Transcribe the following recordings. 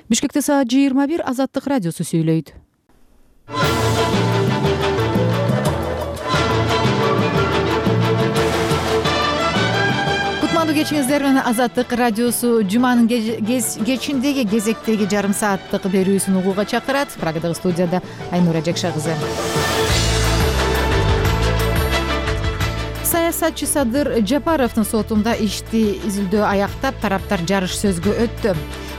Бишкекте саат 21 Азаттык радиосу сүйлөйт. Кутмандуу кечиңиздер менен Азаттык радиосу жуманын кечиндеги кезектеги жарым сааттык берүүсүн угууга чакырат. Прагадагы студияда Айнура Жекша кызы. Саясатчы Садыр Жапаровдун сотунда ишти изилдөө аяктап, тараптар жарыш сөзгө өттү.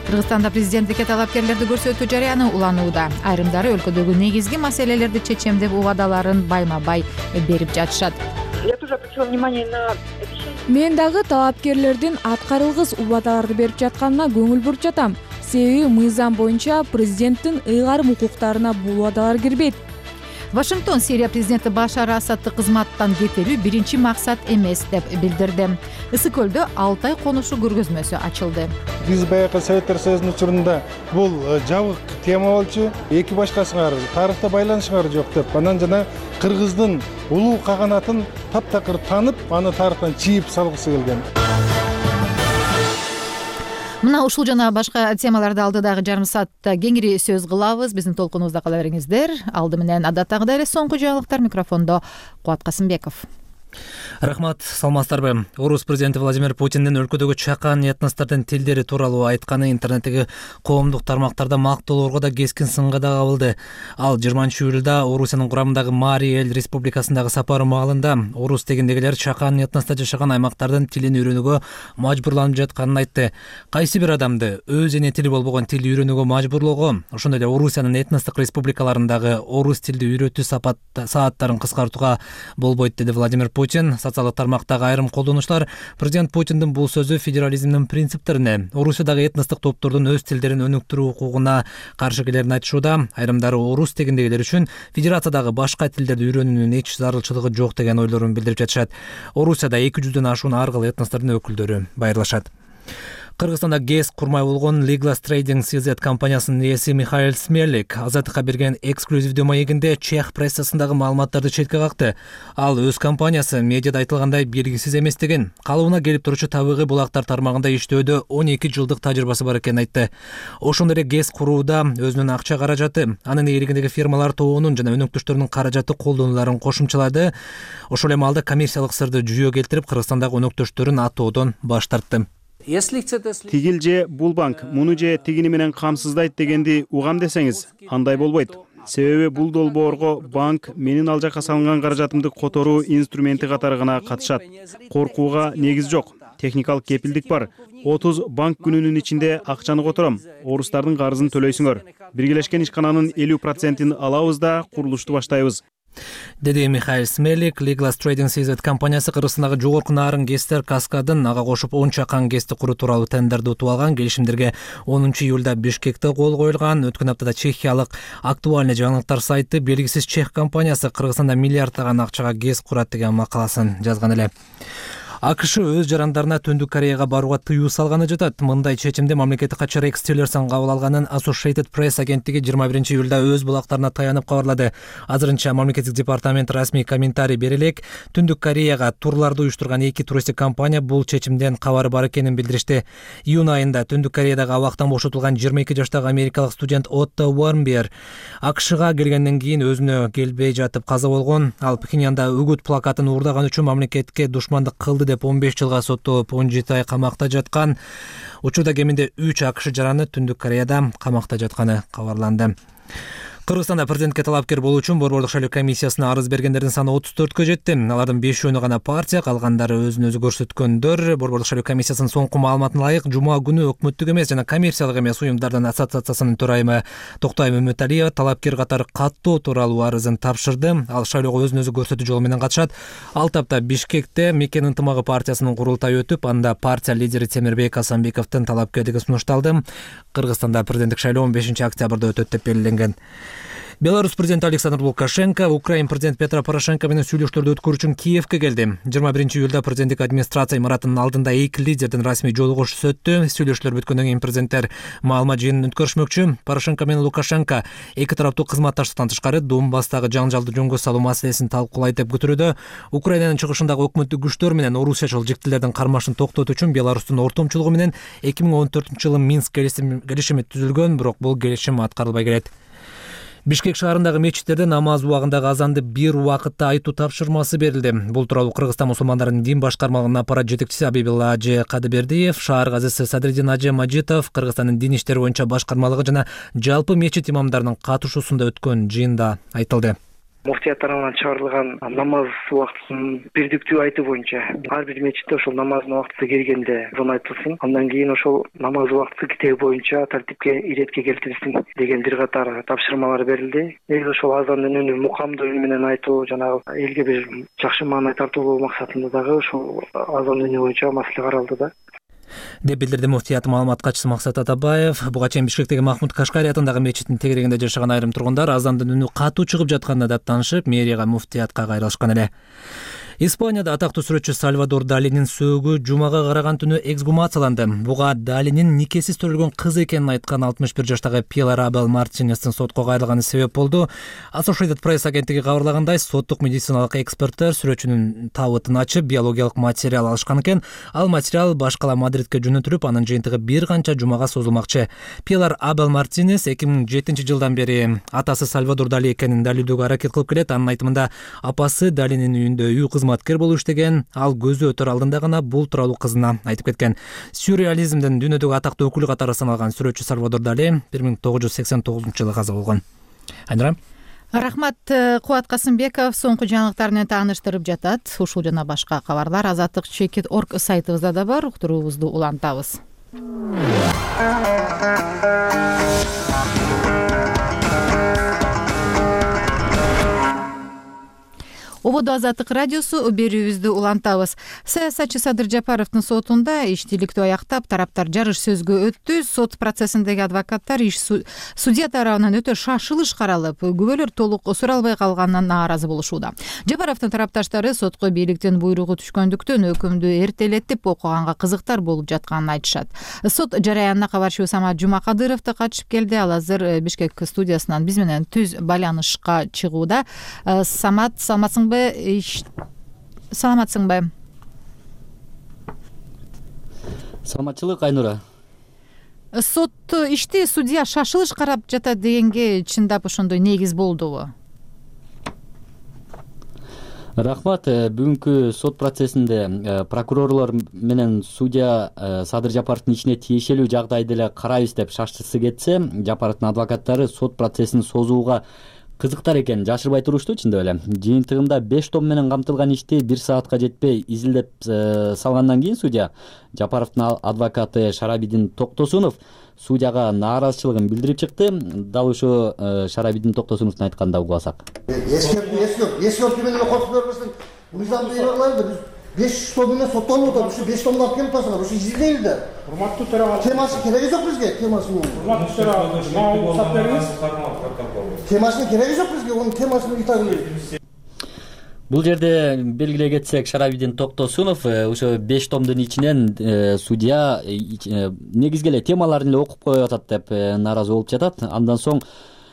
Кыргызстанда президенттикке талапкерлерди көрсөтүү жарыяны уланууда. Айрымдары өлкөдөгү негизги маселелерди чечемдеп убадаларын байма-бай берип жатышат. Я тоже обратила внимание на обещание. Мен дагы талапкерлердин аткарылгыс убадаларды берип жатканына көңүл буруп жатам. Себеби мыйзам боюнча президенттин ыйгарым укуктарына бул убадалар кирбейт. Вашингтон Сирия президенти Башар Асадты кызматтан кетирүү биринчи максат эмес деп билдирди. Ысык көлдө 6 ай конушу көргөзмөсү ачылды. Биз баягы Советтер Союзунун учурунда бул жабык тема болчу, эки башкасыңар тарыхта байланышыңар жок деп, анан жана кыргыздын улуу каганатын таптакыр танып, аны тарыхтан чийип салгысы келген. Мына ушул жана башка темаларды алдыдагы жарым саатта кеңири сөз кылабыз. Биздин толкунубузда кала бериңиздер. Алды менен адаттагыдай эле соңку жаңылыктар. Микрофондо Кубат Касымбеков. Рахмат, саламатсыздарбы? Орус президенти Владимир Путиндин өлкөдөгү чакан этностордун тилдери тууралуу айтканы интернеттеги коомдук тармактарда мактоолорго да кескин сынга да кабылды. Ал 20-июлда Орусиянын курамындагы Мари эл республикасындагы сапары маалында орус тегиндегилер чакан этноста жашаган аймактардын тилин үйрөнүүгө мажбурланып жатканын айтты. Кайсы бир адамды өз эне тили болбогон тил үйрөнүүгө мажбурлоого, ошондой эле Орусиянын этностук республикаларындагы орус тилди үйрөтүү сааттарын кыскартууга болбойт, деди Владимир Путин. Социалдык тармактагы айрым колдонуучулар президент Путиндин бул сөзү федерализмдин принциптерине, Орусиядагы этностук топтордун өз тилдерин өнүктүрүү укугуна каршы келерин айтышууда. Айрымдары орус тегиндегилер үчүн федерациядагы башка тилдерди үйрөнүүнүн эч зарылчылыгы жок деген ойлорун билдирип жатышат. Орусияда 200дөн ашуун ар кыл этностордун өкүлдөрү байырлашат. Кыргызстанда ГЭС курмай болгон Legal Trading CZ компаниясынын ээси Михаил Смерлик Азаттыкка берген эксклюзивдүү маегинде чех прессасындагы маалыматтарды четке какты. Ал өз компаниясы медиада айтылгандай белгисиз эместигин, калыбына келип турчу табигый булактар тармагында иштөөдө 12 жылдык тажрыйбасы бар экенин айтты. Ошондой эле ГЭС курууда өзүнүн акча каражаты, анын ээлигиндеги фирмалар тобунун жана өнөктөштөрүнүн каражаты колдонуларын кошумчалады. Ошол эми алда коммерциялык сырды жүйө келтирип, Кыргызстандагы өнөктөштөрүн атоодон баш тартты. Тигил же бул банк муну же тигини менен камсыздайт дегенди угам десеңиз, андай болбойт. Себеби бул долбоорго банк менин ал жакка салынган каражатымды которуу инструменти катары гана катышат. Коркууга негиз жок. Техникалык кепилдик бар. 30 банк күнүнүн ичинде акчаны котором. Орустардын карызын төлөйсүңөр. Биргелешкен ишкананын 50%-ин алабыз да курулушту баштайбыз, деди Михаил Смерлик. Legal Trading CZ компаниясы Кыргызстандагы жогорку наарын ГЭСтер каскадын ага кошуп 10 чакан ГЭСти куруу тууралуу тендерди утуп алган. Келишимдерге 10-июлда Бишкекте кол коюлган. Өткөн аптада чехиялык актуальный жаңылыктар сайты белгисиз чех компаниясы Кыргызстанда миллиарддаган акчага ГЭС курат деген макаласын жазган эле. АКШ өз жарандарына Түндүк Кореяга барууга тыюу салганы жатат. Мындай чечимди мамлекеттик катчы Рекс Тиллерсон кабыл алганын Associated Press агенттиги 21-июлда өз булактарына таянып кабарлады. Азырынча мамлекеттик департамент расмий комментарий бере элек. Түндүк Кореяга турларды уюштурган 2 туристик компания бул чечимден кабары бар экенин билдиришти. Июнь айында Түндүк Кореядагы абактан бошотулган 22 жаштагы америкалык студент Отто Уорнбер АКШга келгенден кийин өзүнө келбей жатып каза болгон. Ал Пхеньянда үгүт плакатын уурдаган үчүн мамлекетке душмандык кылды деп 15 жылга соттолуп 17 ай камакта жаткан. Учурда кеминде 3 АКШ жараны Түндүк Кореяда камакта жатканы кабарланды. Кыргызстанда президентке талапкер болуу үчүн Борбордук шайлоо комиссиясына арыз бергендердин саны 34кө жетти. Алардын 5-өөнү гана партия, калгандары өзүн өзү көрсөткөндөр. Борбордук шайлоо комиссиясынын соңку маалыматына ылайык, жума күнү өкмөттүк эмес жана коммерциялык эмес уюмдардын ассоциациясынын төрайымы Токтой Мөмөталиева талапкер катары каттоо тууралуу арызын тапшырды. Ал шайлоого өзүн өзү көрсөтүү жолу менен катышат. Ал тапта Бишкекте Мекен ынтымагы партиясынын курултайы өтүп, анда партия лидери Темирбек Асанбековдун талапкерлиги сунушталды. Кыргызстанда президенттик шайлоо 15 октябрда өтөт деп белгиленген. Беларусь президенти Александр Лукашенко Украин президенти Петро Порошенко менен сүйлөшүүлөрдү өткөрүү үчүн Киевке келди. 21-июлда президенттик администрация имаратынын алдында эки лидердин расмий жолугушуусу өттү. Сүйлөшүүлөр бүткөндөн кийин президенттер маалымат жыйынын өткөрүшмөкчү. Порошенко менен Лукашенко эки тараптуу кызматташтыктан тышкары Донбасстагы жаңжалды жөнгө салуу маселесин талкуулайт деп күтүлүүдө. Украинанын чыгышындагы өкмөттүк күчтөр менен орусиячыл жиктилердин кармашын токтотуу үчүн Беларустун ортомчулугу менен 2014-жылы Минск келишими түзүлгөн, бирок бул келишим аткарылбай келет. Бишкек шаарындагы мечиттерде намаз убагындагы азанды бир убакытта айтуу тапшырмасы берилди. Бул тууралуу Кыргызстан мусулмандарынын дин башкармалыгынын аппарат жетекчиси Абибилла Ажы Кадыбердиев, шаар казысы Садриддин Ажы Мажитов, Кыргызстандын дин иштери боюнча башкармалыгы жана жалпы мечит имамдарынын катышуусунда өткөн жыйында айтылды. Муфтият тарабынан чыгарылган намаз убактысын бирдиктүү айтуу боюнча ар бир мечитте ошол намаздын убактысы келгенде азан айтылсын, андан кийин ошол намаз убактысы китеби боюнча тартипке иретке келтирилсин деген бир катар тапшырмалар берилди. Негизи ошол азандын үнү мукамдуу үн менен айтуу, жанагы элге бир жакшы маанай тартуулоо максатында дагы ошол азан үнү боюнча маселе каралды да, деп билдирди муфтият маалымат катчысы Максат Атабаев. Буга чейин Бишкектеги Махмуд Кашкари атындагы мечиттин тегерегинде жашаган айрым тургундар азандын үнү катуу чыгып жатканына даттанышып, мэрияга муфтиятка кайрылышкан эле. Испанияда атактуу сүрөтчү Сальвадор Далинин сөөгү жумага караган түнү эксгумацияланды. Буга Далинин никесиз төрөлгөн кыз экенин айткан 61 жаштагы Пилар Абел Мартинестин сотко кайрылганы себеп болду. Associated Press агенттиги кабарлагандай, соттук медициналык эксперттер сүрөтчүнүн табытын ачып, биологиялык материал алышкан экен. Ал материал башкала Мадридке жөнөтүлүп, анын жыйынтыгы бир канча жумага созулмакчы. Пилар Абел Мартинес 2007-жылдан бери атасы Сальвадор Дали экенин далилдөөгө аракет кылып келет. Анын айтымында апасы Далинин үйүндө үй кызматкер болуп иштеген, ал көзү өтөр алдында гана бул тууралуу кызына айтып кеткен. Сюрреализмдин дүйнөдөгү атактуу өкүлү катары саналган сүрөтчү Сальвадор Дали 1989-жылы каза болгон. Айнура. Рахмат. Кубат Касымбеков соңку жаңылыктар менен тааныштырып жатат. Ушул жана башка кабарлар azatlyk.org сайтыбызда да бар. Уктуруубузду улантабыз. Ободо Азаттык радиосу берүүбүздү улантабыз. Саясатчы Садыр Жапаровдун сотунда иштиликтүү аяктап, тараптар жарыш сөзгө өттү. Сот процессиндеги адвокаттар иш судья тарабынан өтө шашылыш каралып, күбөлөр толук суралбай калганынан нааразы болушууда. Жапаровдун тарапташтары сотко бийликтин буйругу түшкөндүктөн өкүмдү эртелетип окуганга кызыктар болуп жатканын айтышат. Сот жараянына кабарчы Самат Жумакадыров да катышып келди. Ал азыр Бишкек студиясынан биз менен түз байланышка чыгууда. Самат, саламатсыңбы? Саламатсыңбы? Саламатчылык, Айнура. Сот ишти судья шашылыш карап жатат дегенге чындап ошондой негиз болдубу? Рахмат. Бүгүнкү сот процессинде прокурорлор менен судья Садыр Жапаровдун ишине тиешелүү жагдайды эле карайбыз деп шаштысы кетсе, Жапаровдун адвокаттары сот процессин созууга кызыктар экенин жашырбай турушту. Чындап эле жыйынтыгында 5 том менен камтылган ишти 1 саатка жетпей изилдеп салгандан кийин судья Жапаровдун адвокаты Шарабидин Токтосунов судьяга нааразычылыгын билдирип чыкты. Дал ошо Шарабидин Токтосуновдун айтканын угасак. Эскерти менен коркуп бербесин. Мыйзам берилет. Биз 5 том менен соттолуп атат. Ушу 5 томду алып келип атасыңар. Ушу изилдейли да. Урматтуу төрага. Темасы кереги жок бизге. Темасынын. Урматтуу төрага. Маалымат бериңиз. Темасынын кереги жок бизге. Онун темасынын итагын. Бул жерде белгилей кетсек, Шарабидин Токтосунов ошо 5 томдун ичинен судья негизги эле темаларын эле окуп коюп атат деп нааразы болуп жатат. Андан соң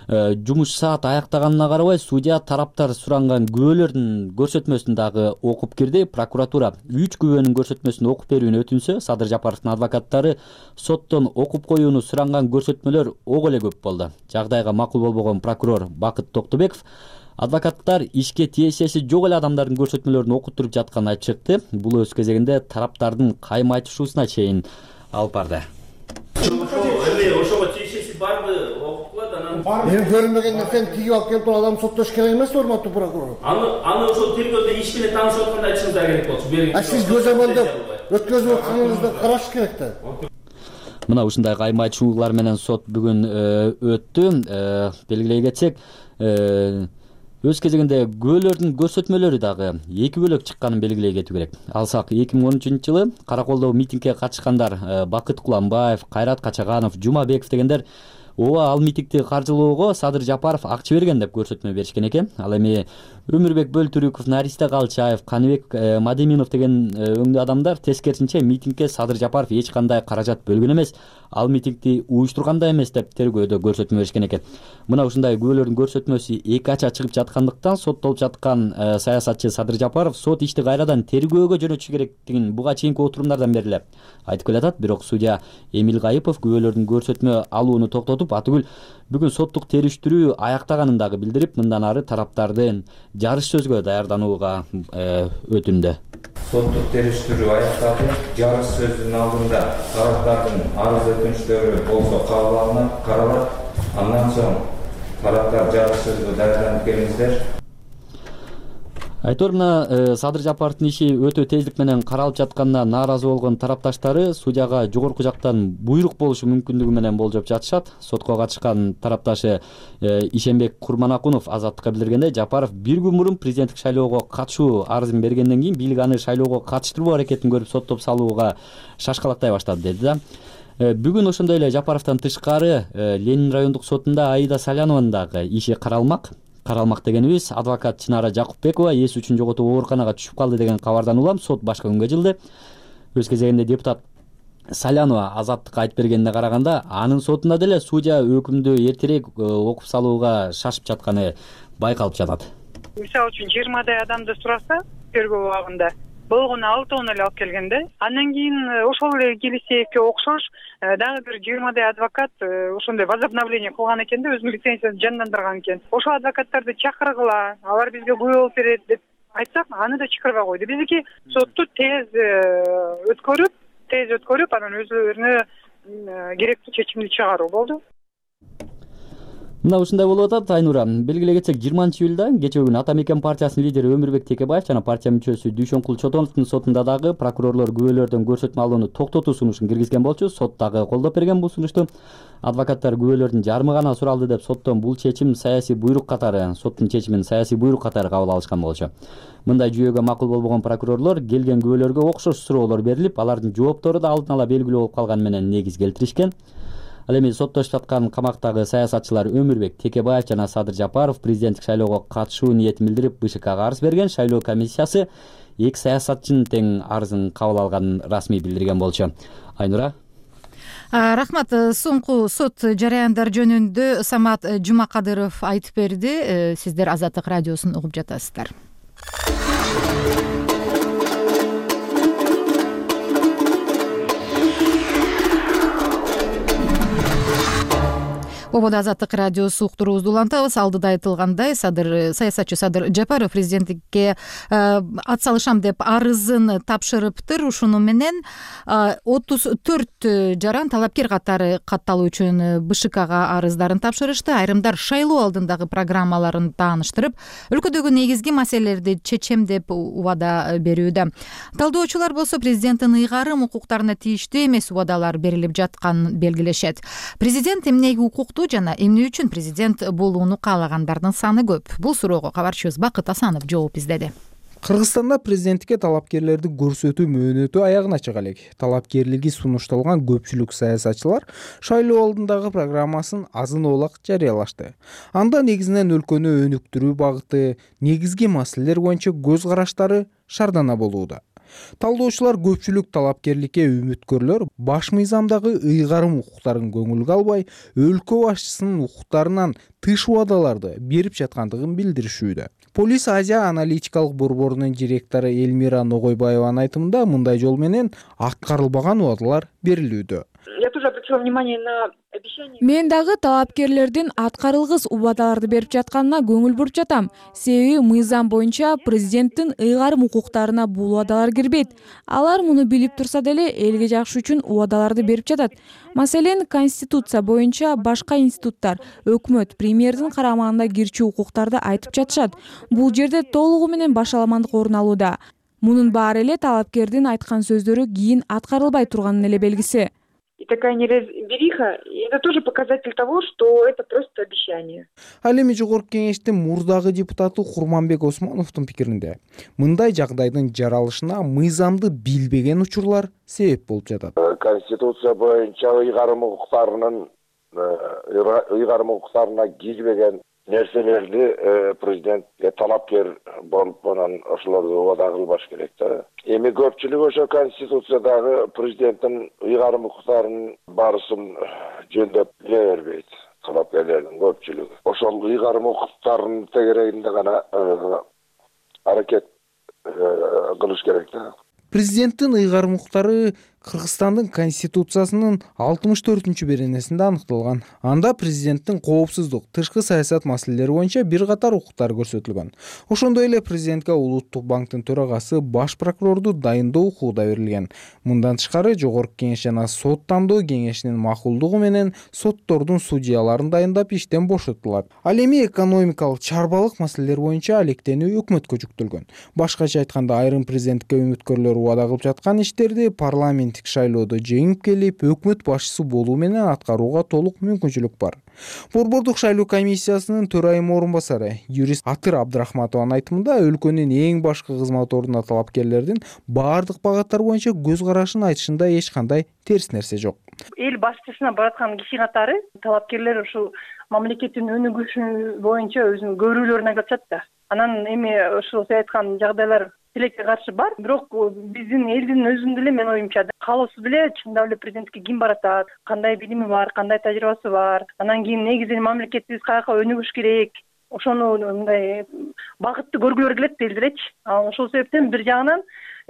жумуш саат аяктаганына карабай судья тараптар суранган күбөлөрдүн көрсөтмөсүн дагы окуп кирди. Прокуратура 3 күбөнүн көрсөтмөсүн окуп берүүнү өтүнсө, Садыр Жапаровдун адвокаттары соттон окуп коюуну суранган көрсөтмөлөр ого эле көп болду. Жагдайга макул болбогон прокурор Бакыт Токтобеков адвокаттар ишке тиешеси жок эле адамдардын көрсөтмөлөрүн окуттуруп жатканын айтып чыкты. Бул өз кезегинде тараптардын кайма айтышуусуна чейин алып барды. Ошого тиешеси барбы окуп коет, анан Мен көрүнбөгөн нерсени тигип алып келип туруп адам соттош керек эмес, урматтуу прокурор. Аны ошол тергөөдө иш менен таанышып атканда айтышыңыздар керек болчу. Сиз көз амандап өткөзүп атканыңызды караш керек да. Мына ушундай кайма айтышуулар менен сот бүгүн өттү. Белгилей кетсек, өз кезегинде күбөлөрдүн көрсөтмөлөрү дагы эки бөлөк чыкканын белгилей кетүү керек. Алсак 2013-жылы Караколдогу митингге катышкандар Бакыт Куланбаев, Кайрат Качаганов, Жумабеков дегендер ооба ал митингди каржылоого Садыр Жапаров акча берген деп көрсөтмө беришкен экен. Ал эми Өмүрбек Бөлтүрүков, Наристе Калчаев, Каныбек Мадеминов деген өңдүү адамдар тескерисинче митингге Садыр Жапаров эч кандай каражат бөлгөн эмес, ал митингди уюштурган да эмес деп тергөөдө көрсөтмө беришкен экен. Мына ушундай күбөлөрдүн көрсөтмөсү эки ача чыгып жаткандыктан соттолуп жаткан саясатчы Садыр Жапаров сот ишти кайрадан тергөөгө жөнөтүшү керектигин буга чейинки отурумдардан бери эле айтып келатат. Бирок судья Эмил Кайыпов күбөлөрдүн көрсөтмө алууну токтотуп, атүгүл бүгүн соттук териштирүү аяктаганын дагы билдирип, мындан ары тараптардын жарыш сөзгө даярданууга өтүндү. Соттук териштирүү аякталды. Жарыш сөзүнүн алдында тараптардын арыз өтүнүчтөрү болсо кабыл алынып, каралат. Андан соң тараптар жарыш сөзгө даярданып келиңиздер. Айтор мына Садыр Жапаровдун иши өтө тездик менен каралып жатканына нааразы болгон тарапташтары судьяга жогорку жактан буйрук болушу мүмкүндүгү менен болжоп жатышат. Сотко катышкан тарапташы Ишенбек Курманакунов Азаттыкка билдиргендей, Жапаров бир күн мурун президенттик шайлоого катышуу арызын бергенден кийин бийлик аны шайлоого катыштыруу аракетин көрүп соттоп салууга шашкалактай баштады деди да. Бүгүн ошондой эле Жапаровдон тышкары Ленин райондук сотунда Аида Салянованын дагы иши каралмак дегенибиз адвокат Чынара Жакупбекова эс үчүн жоготуп ооруканага түшүп калды деген кабардан улам сот башка күнгө жылды. Өз кезегинде депутат Салянова Азаттыкка айтып бергенине караганда, анын сотунда деле судья өкүмдү эртерээк окуп салууга шашып жатканы байкалып жатат. Мисалы үчүн 20 адамды сураса, тергөө убагында болгону 6 эле алып келгенде, андан кийин ошол эле Келисеевке окшош дагы бир 20 адвокат ошондой возобновление кылган экен да, өзүнүн лицензиясын жандандырган экен. Ошол адвокаттарды чакыргыла, алар бизге күбө болуп берет деп айтсак, аны да чакырбай койду. Биздики сотту тез өткөрүп, анан өзүлөрүнө керектүү чечимди чыгаруу болду. Мына ушундай болуп атат. Айнура, белгилей кетсек, 20-июлда кечээ күнү Ата Мекен партиясынын лидери Өмүрбек Текебаев жана партия мүчөсү Дүйшөнкул Чотоновдун сотунда дагы прокурорлор күбөлөрдөн көрсөтмө алууну токтотуу сунушун киргизген болчу. Сот дагы колдоп берген бул сунушту. Адвокаттар күбөлөрдүн жарымы гана суралды деп соттон бул чечим саясий буйрук катары, соттун чечимин саясий буйрук катары кабыл алышкан болчу. Мындай жүйөгө макул болбогон прокурорлор келген күбөлөргө окшош суроолор берилип, алардын жооптору да алдын ала белгилүү болуп калганы менен негиз келтиришкен. Ал эми соттошуп жаткан камактагы саясатчылар Өмүрбек Текебаев жана Садыр Жапаров президенттик шайлоого катышуу ниетин билдирип БШКга арыз берген. Шайлоо комиссиясы эки саясатчынын тең арызын кабыл алганын расмий билдирген болчу. Айнура. Рахмат. Соңку сот жараяндар жөнүндө Самат Жумакадыров айтып берди. Сиздер Азаттык радиосун угуп жатасыздар. Ободо Азаттык радиосу уктуруубузду улантабыз. Алдыда айтылгандай, саясатчы Садыр Жапаров президенттикке ат салышам деп арызын тапшырыптыр. Ушуну менен 34 жаран талапкер катары катталуу үчүн БШКга арыздарын тапшырышты. Айрымдар шайлоо алдындагы программаларын тааныштырып, өлкөдөгү негизги маселелерди чечем деп убада берүүдө. Талдоочулар болсо президенттин ыйгарым укуктарына тийиштүү эмес убадалар берилип жатканын белгилешет. Президент эмнеге укуктуу жана эмне үчүн президент болууну каалагандардын саны көп? Бул суроого кабарчыбыз Бакыт Асанов жооп издеди. Кыргызстанда президенттикке талапкерлерди көрсөтүү мөөнөтү аягына чыга элек. Талапкерлиги сунушталган көпчүлүк саясатчылар шайлоо алдындагы программасын азын-оолак жарыялашты. Анда негизинен өлкөнү өнүктүрүү багыты, негизги маселелер боюнча көз караштары шардана болууда. Талдоочулар көпчүлүк талапкерликке үмүткөрлөр баш мыйзамдагы ыйгарым укуктарын көңүлгө албай, өлкө башчысынын укуктарынан тыш убадаларды берип жаткандыгын билдиришүүдө. Полис Азия аналитикалык борборунун директору Элмира Ногойбаеванын айтымында мындай жол менен аткарылбаган убадалар берилүүдө. Я тоже обратила внимание на обещание. Мен дагы талапкерлердин аткарылгыс убадаларды берип жатканына көңүл буруп жатам. Себеби мыйзам боюнча президенттин ыйгарым укуктарына бул убадалар кирбейт. Алар муну билип турса деле элге жакшы үчүн убадаларды берип жатат. Маселен, конституция боюнча башка институттар, өкмөт, премьердин карамагына кирчү укуктарды айтып жатышат. Бул жерде толугу менен башаламандык орун алууда. Мунун баары эле талапкердин айткан сөздөрү кийин аткарылбай турганын эле белгиси. И такая неразбериха, это тоже показатель того, что это просто обещание. Ал эми жогорку кеңештин мурдагы депутаты Курманбек Осмоновдун пикиринде мындай жагдайдын жаралышына мыйзамды билбеген учурлар себеп болуп жатат. Конституция боюнча ыйгарым укуктарынын ыйгарым укуктарына кирбеген нерселерди президентке талапкер болуп анан ошолорду убада кылбаш керек да. Эми көпчүлүк ошо Конституциядагы президенттин ыйгарым укуктарынын баарысын жөндөп биле бербейт. Талапкерлердин көпчүлүгү ошол ыйгарым укуктарынын тегерегинде гана аракет кылыш керек да. Президенттин ыйгарым укуктары Кыргызстандын Конституциясынын 64-беренесинде аныкталган. Анда президенттин коопсуздук, тышкы саясат маселелери боюнча бир катар укуктар көрсөтүлгөн. Ошондой эле президентке Улуттук банктын төрагасы, баш прокурорду дайындоо укугу да берилген. Мындан тышкары Жогорку Кеңеш жана Сот тандоо кеңешинин макулдугу менен соттордун судьяларын дайындап иштен бошотулат. Ал эми экономикалык, чарбалык маселелер боюнча алектенүү өкмөткө жүктөлгөн. Башкача айтканда, айрым президенттикке үмүткөрлөр убада кылып жаткан иштерди парламент шайлоодо жеңип келип, өкмөт башчысы болуу менен аткарууга толук мүмкүнчүлүк бар. Борбордук шайлоо комиссиясынын төрайым орун басары юрист Атыр Абдрахматованын айтымында, өлкөнүн эң башкы кызмат ордуна талапкерлердин баардык багаттар боюнча көз карашын айтышында эч кандай терс нерсе жок. Эл башчысына бараткан киши катары талапкерлер ушул мамлекеттин өнүгүшү боюнча өзүнүн көрүүлөрүн айтып атышат да. Анан эми ошол сиз айткан жагдайлар тилекке каршы бар, бирок биздин элдин өзүндө эле мен оюмча каалоосу деле чындап эле президентке ким баратат, кандай билими бар, кандай тажрыйбасы бар, анан кийин негизинен мамлекетибиз каяка өнүгүш керек, ошону мындай багытты көргүлөр келет элдеречи. Ошол себептен бир жагынан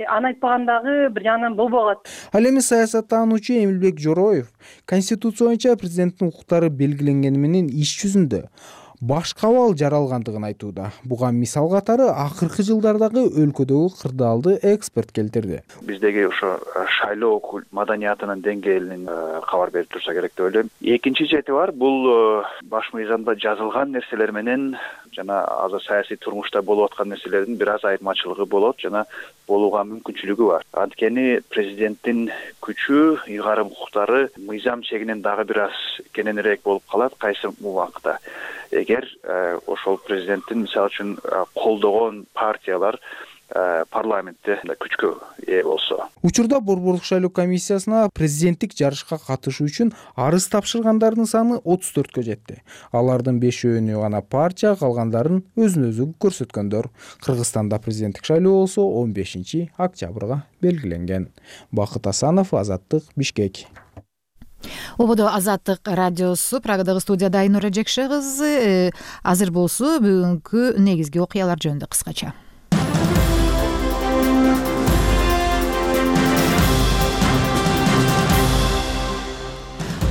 аны айтпагандагы бир жагынан болбой калат. Ал эми саясаттануучу Эмилбек Жороев Конституция боюнча президенттин укуктары белгиленгени менен иш жүзүндө башка абал жаралгандыгын айтууда. Буга мисал катары акыркы жылдардагы өлкөдөгү кырдаалды экспорт келтирди. Биздеги ошо шайлоо маданиятынын деңгээлинин кабар берип турса керек деп ойлойм. Экинчи чети бар, бул баш мыйзамда жазылган нерселер менен жана азыр саясий турмушта болуп аткан нерселердин бир аз айырмачылыгы болот жана болууга мүмкүнчүлүгү бар. Анткени президенттин күчү, ыйгарым укуктары мыйзам чегинен дагы бир аз кененирээк болуп калат кайсы убакта. Эгер ошол президенттин мисалы үчүн колдогон партиялар парламентте күчкө ээ болсо. Учурда Борбордук шайлоо комиссиясына президенттик жарышка катышуу үчүн арыз тапшыргандардын саны 34кө жетти. Алардын 5-өөнү гана партия, калгандарын өзүн-өзү көрсөткөндөр. Кыргызстанда президенттик шайлоо болсо 15-октябрга белгиленген. Бакыт Асанов, Азаттык, Бишкек. Ободо Азаттык радиосу, Прагадагы студияда Айнура Жекше кызы. Азыр болсо бүгүнкү негизги окуялар жөнүндө кыскача.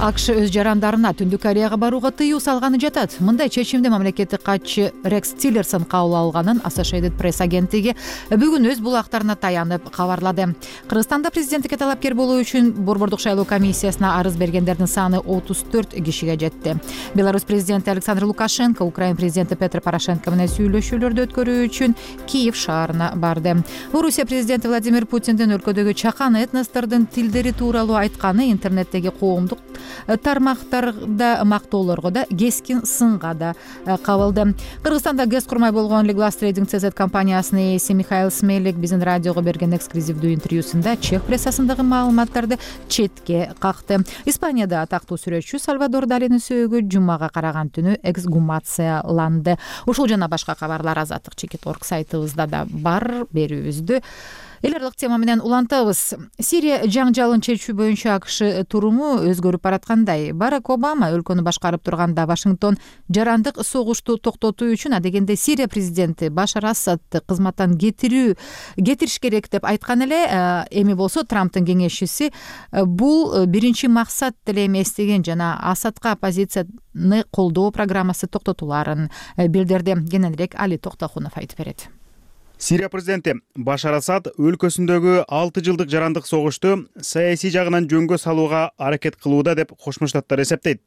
АКШ өз жарандарына Түндүк Кореяга барууга тыюу салганы жатат. Мындай чечимди мамлекеттик катчы Рекс Тиллерсон кабыл алганын Associated Press агенттиги бүгүн өз булактарына таянып кабарлады. Кыргызстанда президенттикке талапкер болуу үчүн Борбордук шайлоо комиссиясына арыз бергендердин саны 34 кишиге жетти. Беларусь президенти Александр Лукашенко Украина президенти Петр Порошенко менен сүйлөшүүлөрдү өткөрүү үчүн Киев шаарына барды. Орусия президенти Владимир Путиндин өлкөдөгү чакан этностордун тилдери тууралуу айтканы интернеттеги коомдук тармактарда мактоолорго да кескин сынга да кабылды. Кыргызстанда газ курмай болгон Liglas Trading CZ компаниясынын ээси Михаил Смелик биздин радиого берген эксклюзивдүү интервьюсунда чех прессасындагы маалыматтарды четке какты. Испанияда атактуу сүрөтчү Сальвадор Далинин сөөгү жумага караган түнү эксгумацияланды. Ушул жана башка кабарлар Азаттык.org сайтыбызда да бар. Берүүбүздү эл аралык тема менен улантабыз. Сирия жаңжалын чечүү боюнча АКШ туруму өзгөрүп бараткандай. Барак Обама өлкөнү башкарып турганда Вашингтон жарандык согушту токтотуу үчүн адегенде Сирия президенти Башар Асадты кызматтан кетириш керек деп айткан эле. Эми болсо Трамптын кеңешчиси бул биринчи максат деле эмес деген жана Асадка оппозицияны колдоо программасы токтотуларын билдирди. Кененирээк Али Токтохунов айтып берет. Сирия президенти Башар Асад өлкөсүндөгү 6 жылдык жарандык согушту саясий жагынан жөнгө салууга аракет кылууда деп Кошмо Штаттар эсептейт.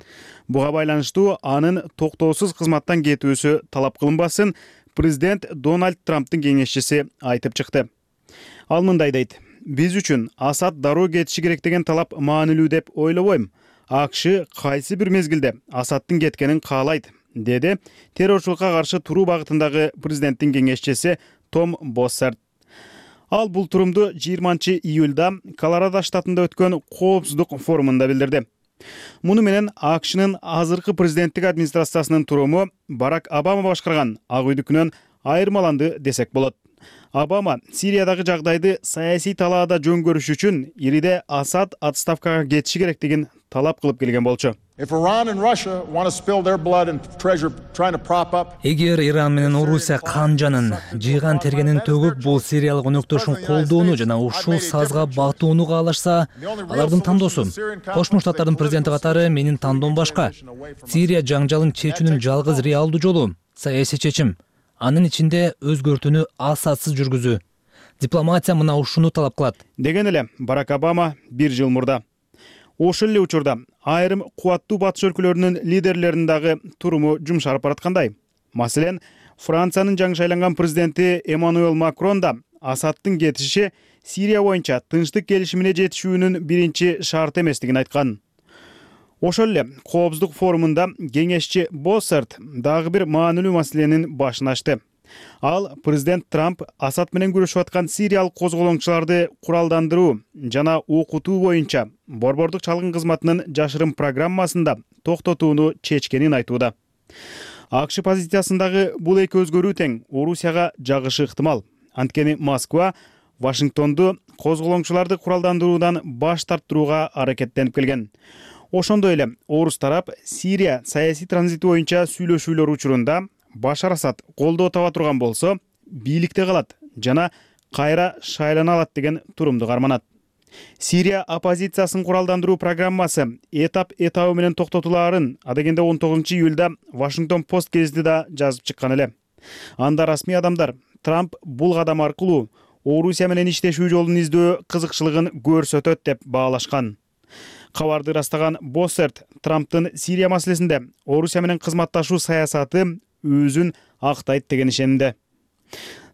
Буга байланыштуу анын токтоосуз кызматтан кетүүсү талап кылынбасын президент Дональд Трамптын кеңешчиси айтып чыкты. Ал мындай дейт: "Биз үчүн Асад дароо кетиши керек деген талап маанилүү деп ойлобойм. АКШ кайсы бир мезгилде Асадтын кеткенин каалайт", деди террорчулукка каршы туруу багытындагы президенттин кеңешчиси Том Боссарт. Ал бул турумду 20 июлда Колорадо штатында өткөн коопсуздук форумунда билдирди. Муну менен АКШнын азыркы президенттик администрациясынын туруму Барак Обама башкарган Ак үйдүкүнөн айырмаланды десек болот. Обама Сириядагы жагдайды саясий талаада жөн көрүш үчүн ириде Асад отставкага кетиши керектигин талап кылып келген болчу. Эгер Иран менен Орусия канжанын жыйган тергенин төгүп бул сириялык өнөктөшүн колдоону жана ушул сазга батууну каалашса, алардын тандоосу. Кошмо Штаттардын президенти катары менин тандоом башка. Сирия жаңжалын чечүүнүн жалгыз реалдуу жолу саясий чечим. Анын ичинде өзгөртүүнү Асадсыз жүргүзүү. Дипломатия мына ушуну талап кылат. Деген эле Барак Обама 1 жыл мурда. Ошол эле учурда айрым кубаттуу батыш өлкөлөрүнүн лидерлеринин дагы туруму жумшарып бараткандай. Маселен, Франциянын жаңы шайланган президенти Эммануэл Макрон да Асадтын кетиши Сирия боюнча тынчтык келишимине жетишүүнүн биринчи шарты эместигин айткан. Ошол эле Коопсуздук форумунда кеңешчи Боссерт дагы бир маанилүү маселенин башын ачты. Ал президент Трамп Асад менен күрөшүп аткан сириялык козголоңчуларды куралдандыруу жана окутуу боюнча борбордук чалгын кызматынын жашырын программасында токтотууну чечкенин айтууда. АКШ позициясындагы бул эки өзгөрүү тең Орусияга жагышы ыктымал. Анткени Москва Вашингтонду козголоңчуларды куралдандыруудан баш тарттырууга аракеттенип келген. Ошондой эле орус тарап Сирия саясий транзити боюнча сүйлөшүүлөр учурунда Башар Асад колдоо таба турган болсо, бийликте калат жана кайра шайлана алат деген турумду карманат. Сирия оппозициясын куралдандыруу программасы этап менен токтотулаарын адегенде 19-июлда Вашингтон Пост гезити да жазып чыккан эле. Анда расмий адамдар Трамп бул кадам аркылуу Орусия менен иштешүү жолун издөө кызыкчылыгын көрсөтөт деп баалашкан. Кабарды ырастаган Боссерт Трамптын Сирия маселесинде Орусия менен кызматташуу саясаты өзүн актайт деген ишенимде.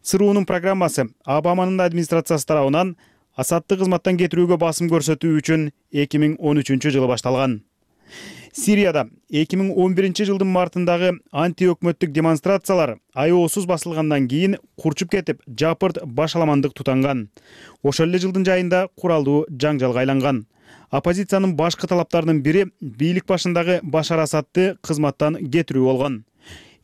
ЦРУнун программасы Обаманын администрациясы тарабынан Асадты кызматтан кетирүүгө басым көрсөтүү үчүн 2013 жылы башталган. Сирияда 2011 жылдын мартындагы антиөкмөттүк демонстрациялар аеосуз басылгандан кийин курчуп кетип, жапырт башаламандык тутанган. Ошол эле жылдын жайында куралдуу жаңжалга айланган. Оппозициянын башкы талаптарынын бири бийлик башындагы Башар Асадты кызматтан кетирүү болгон.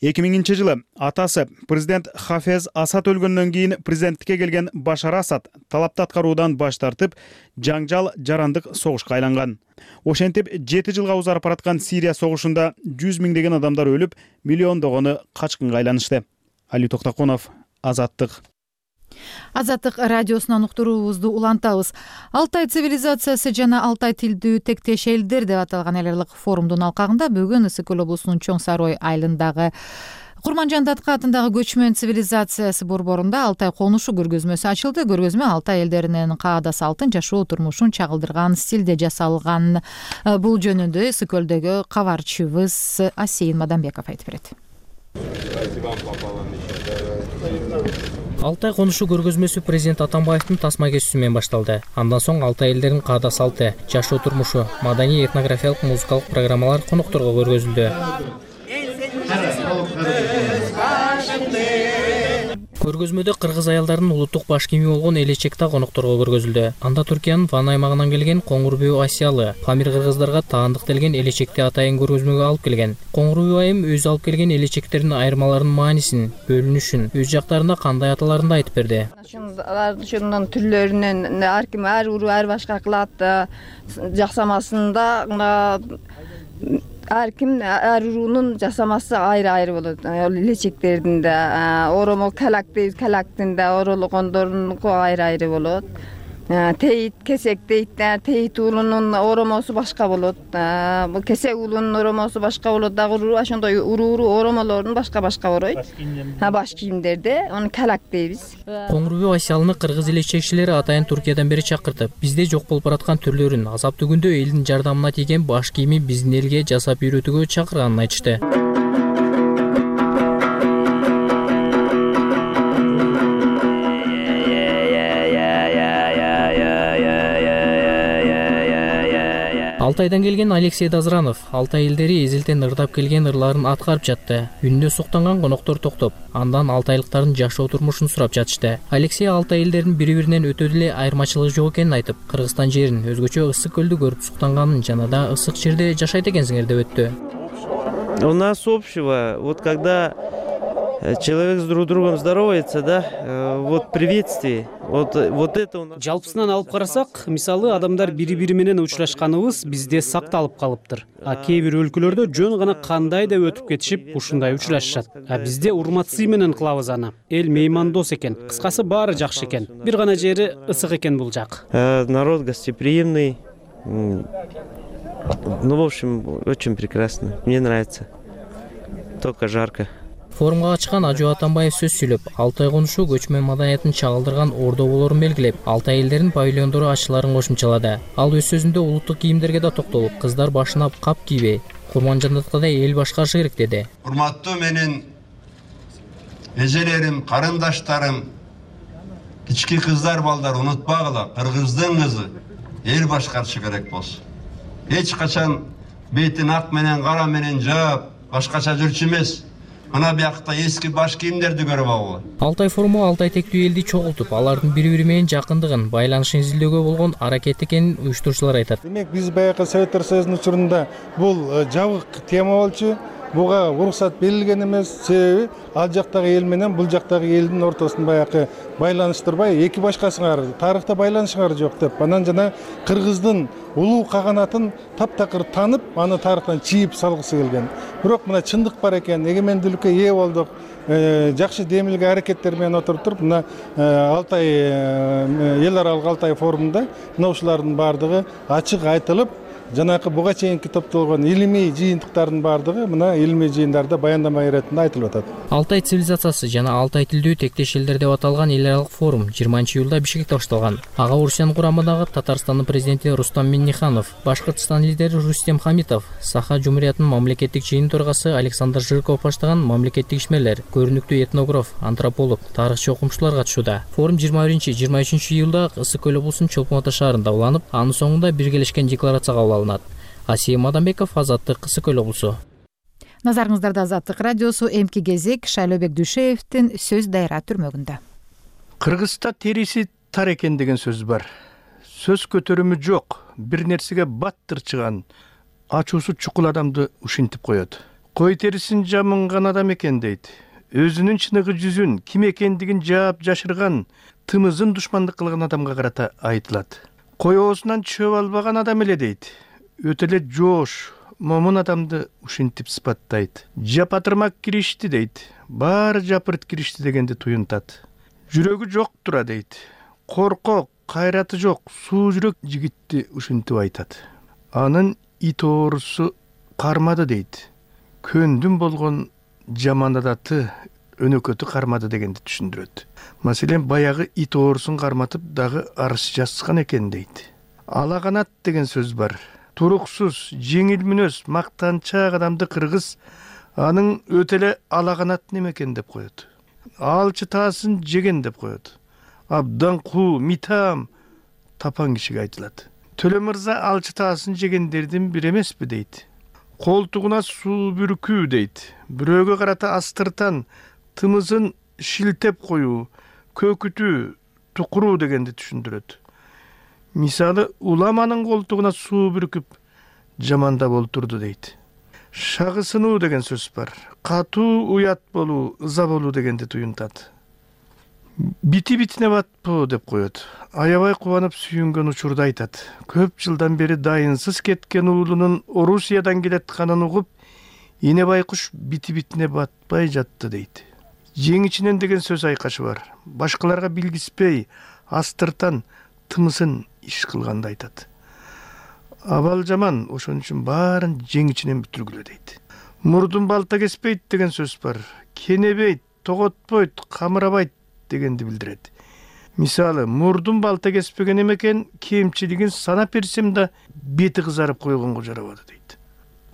2000 жылы атасы президент Хафез Асад өлгөндөн кийин президенттикке келген Башар Асад талапты аткаруудан баш тартып, жаңжал жарандык согушка айланган. Ошентип 7 жылга узарып бараткан Сирия согушунда 100 миңдеген адамдар өлүп, миллиондогону качкынга айланышты. Али Токтаконов, Азаттык. Азаттык радиосунан уктуруубузду улантабыз. Алтай цивилизациясы жана Алтай тилдүү тектеш элдер деп аталган эл аралык форумдун алкагында бүгүн Ысык көл облусунун Чоң Сарой айылындагы Курманжан Датка атындагы көчмөн цивилизациясы борборунда Алтай конушу көргөзмөсү ачылды. Көргөзмө Алтай элдеринин каада салтын, жашоо турмушун чагылдырган стилде жасалган. Бул жөнүндө Ысык көлдөгү кабарчыбыз Асейин Мадамбеков айтып берет. Алтай конушу көргөзмөсү президент Атамбаевдин тасма кесүүсү менен башталды. Андан соң Алтай элдеринин каада салты, жашоо турмушу, маданий этнографиялык музыкалык программалар конокторго көргөзүлдү. Көргөзмөдө кыргыз аялдарынын улуттук баш кийими болгон элечек да конокторго көргөзүлдү. Анда Түркиянын Ван аймагынан келген Коңгурбүү Асиялы, Памир кыргыздарга таандык делген элечекти атайын көргөзмөгө алып келген. Коңгурбүү айым өзү алып келген элечектердин айырмаларынын маанисин, бөлүнүшүн, өз жактарында кандай аталарын да айтып берди. Ошондон түрлөрүнөн ар ким ар уруу ар башка кылат, жаксамасында ар ким ар уруунун жасамасы айры болот. Элечектердин да оромо калактын да орологондорунку айры болот. Тейит кесек дейт, тейит уулунун оромосу башка болот. Бул кесек уулунун оромосу башка болот. Дагы ошондой уруу оромолордун башка боройт. Баш кийимдерде аны калак дейбиз. Коңгурбүү Асиялыны кыргыз элечекчилери атайын Түркиядан бери чакыртып, бизде жок болуп бараткан түрлөрүн азаптуу күндө элдин жардамына тийген баш кийими биздин элге жасап үйрөтүүгө чакырганын айтышты. Алтайдан келген Алексей Дозранов Алтай элдери эзелтен ырдап келген ырларын аткарып жатты. Үнүнө суктанган коноктор токтоп, андан алтайлыктардын жашоо турмушун сурап жатышты. Алексей Алтай элдеринин бири-биринен өтө деле айырмачылыгы жок экенин айтып, Кыргызстан жерин өзгөчө ысык көлдү көрүп суктанганын жана да ысык жерде жашайт экенсиңер деп өттү. У нас общего, вот когда человек с друг другом здоровается, да, вот приветствие, вот это у нас. Жалпысынан алып карасак, мисалы адамдар бири-бири менен учурашканыбыз бизде сакталып калыптыр. А кээ бир өлкөлөрдө жөн гана кандай деп өтүп кетишип, ушундай учурашышат. А бизде урматсый менен кылабыз аны. Эл меймандос экен. Кыскасы баары жакшы экен. Бир гана жери ысык экен бул жак. Народ гостеприимный. Ну, в общем, очень прекрасно. Мне нравится. Только жарко. Форумга катышкан Ажу Атамбаев сөз сүйлөп, Алтай конушу көчмөн маданиятын чагылдырган ордо болорун белгилеп, Алтай элдеринин павильондору ачыларын кошумчалады. Ал өз сөзүндө улуттук кийимдерге да токтолуп, кыздар башына кап кийбей, курманжандаткадай эл башкарышы керек деди. Урматтуу менин эжелерим, карындаштарым, кички кыздар, балдар, унутпагыла, кыргыздын кызы эл башкарышы керек болсун. Эч качан бетин ак менен кара менен жаап, башкача жүрчү эмес. Ана биякта эски баш кийимдерди көрүп алгыла. Алтай форуму Алтай тектүү элди чогултуп, алардын бири-бири менен жакындыгын, байланышын изилдөөгө болгон аракет экенин уюштуруучулар айтат. Демек, биз баягы Советтер Союзунун учурунда бул жабык тема болчу. Буга уруксат берилген эмес, себеби ал жактагы эл менен бул жактагы элдин ортосун баягы байланыштырбай, эки башкасыңар тарыхта байланышыңар жок деп, анан жана кыргыздын улуу каганатын таптакыр танып, аны тарыхтан чийип салгысы келген. Бирок мына чындык бар экен, эгемендүүлүккө ээ болдук. Жакшы демилге аракеттер менен отуруп туруп, мына Алтай эл аралык Алтай форумунда мына ушулардын баардыгы ачык айтылып, жанакы буга чейинки топтолгон илимий жыйынтыктардын баардыгы мына илимий жыйындарда баяндама иретинде айтылып атат. Алтай цивилизациясы жана Алтай тилдүү тектеш элдер деп аталган эл аралык форум 20-июлда Бишкекте башталган. Ага Орусиянын курамындагы Татарстандын президенти Рустам Минниханов, Башкыртстан лидери Рустем Хамитов, Саха Жумуриятынын мамлекеттик жыйын төрагасы Александр Жирков баштаган мамлекеттик ишмерлер, көрүнүктүү этнограф, антрополог, тарыхчы окумуштуулар катышууда. Форум 21-23 июлда Ысык көл облусунун Чолпон Ата шаарында уланып, анын соңунда биргелешкен декларация кабыл алынат. Асия Мадамбеков, Азаттык, Ысык көл облусу. Назарыңыздарда Азаттык радиосу, эмки кезек Шайлообек Дүйшеевдин сөз дайра түрмөгүндө. Кыргызста териси тар экен деген сөз бар. Сөз көтөрүмү жок, бир нерсеге баттырчыган, ачуусу чукул адамды ушинтип коет. Кой терисин жамынган адам экен дейт. Өзүнүн чыныгы жүзүн, ким экендигин жаап жашырган, тымызын душмандык кылган адамга карата айтылат. Кой оозунан чөп албаган адам эле дейт. Өтө эле жоош, момун адамды ушинтип сыпаттайт. Жапатырмак киришти дейт. Баары жапырт киришти дегенди туюнтат. Жүрөгү жок тура дейт. Коркок, кайраты жок, суу жүрөк жигитти ушинтип айтат. Анын ит оорусу кармады дейт. Көндүм болгон жаман адаты өнөкөтү кармады дегенди түшүндүрөт. Маселен, баягы ит оорусун карматып дагы арыз жазган экен дейт. Ала канат деген сөз бар. Туруксуз, жеңил мүнөз, мактанчаак адамды кыргыз анын өтө эле ала канат неме экен деп коет. Алчы таасын жеген деп коет. Абдан куу, митам тапан кишиге айтылат. Төлө мырза алчы таасын жегендердин бири эмеспи дейт. Колтугуна суу бүркүү дейт. Бирөөгө карата астыртан, тымызын шилтеп коюу, көкүтүү, тукуруу дегенди түшүндүрөт. Мисалы, уламанын колтугуна суу бүркүп жамандап олтурду дейт. Шагысынуу деген сөз бар. Катуу уят болуу, ыза болуу дегенди туюнтат. Бити-битине батпоо деп коет. Аябай кубанып сүйүнгөн учурда айтат. Көп жылдан бери дайынсыз кеткен уулунун Орусиядан келатканын угуп, эне байкуш бити-битине батпай жатты дейт. Жеңичинен деген сөз айкашы бар. Башкаларга билгиспей, астыртан тымысын иш кылганды айтат. Абал жаман, ошон үчүн баарын жеңичинен бүтүргүлө дейт. Мурдун балта кеспейт деген сөз бар. Кенебейт, тоготпойт, камырабайт дегенди билдирет. Мисалы, мурдун балта кеспеген эмекен, кемчилигин санап берсем да бети кызарып койгонго жарабады дейт.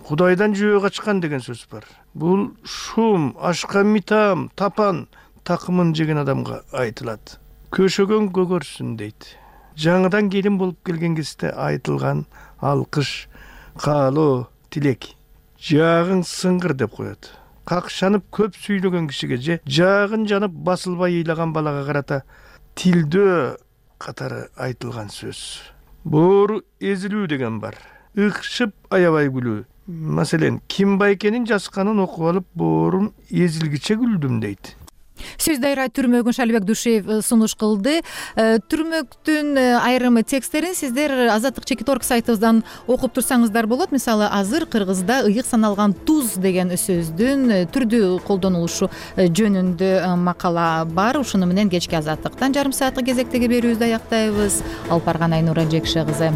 Кудайдан жөө качкан деген сөз бар. Бул шум, ашка митам, тапан, такымын жеген адамга айтылат. Көшөгөн көгөрсүн дейт. Жаңыдан келин болуп келген кезде айтылган алкыш, каалоо тилек, жаагың сыңгыр деп коет. Какшанып көп сүйлөгөн кишиге же жаагын жанып басылбай ыйлаган балага карата тилдөө катары айтылган сөз. Боору эзилүү деген бар. Ыкшып аябай күлүү. Маселен, Ким Байкенин жазганын окуп алып, боорум эзилгиче күлдүм дейт. Сөз дайра түрмөгүн Шалибек Душев сунуш кылды. Түрмөктүн айрым тексттерин сиздер Азаттык Чекиторг сайтыбыздан окуп турсаңыздар болот. Мисалы, азыр кыргызда ыйык саналган туз деген сөздүн түрдүү колдонулушу жөнүндө макала бар. Ушуну менен кечки Азаттыктан жарым сааттык кезектеги берүүбүздү аяктайбыз. Алып барган Айнура Жекше кызы.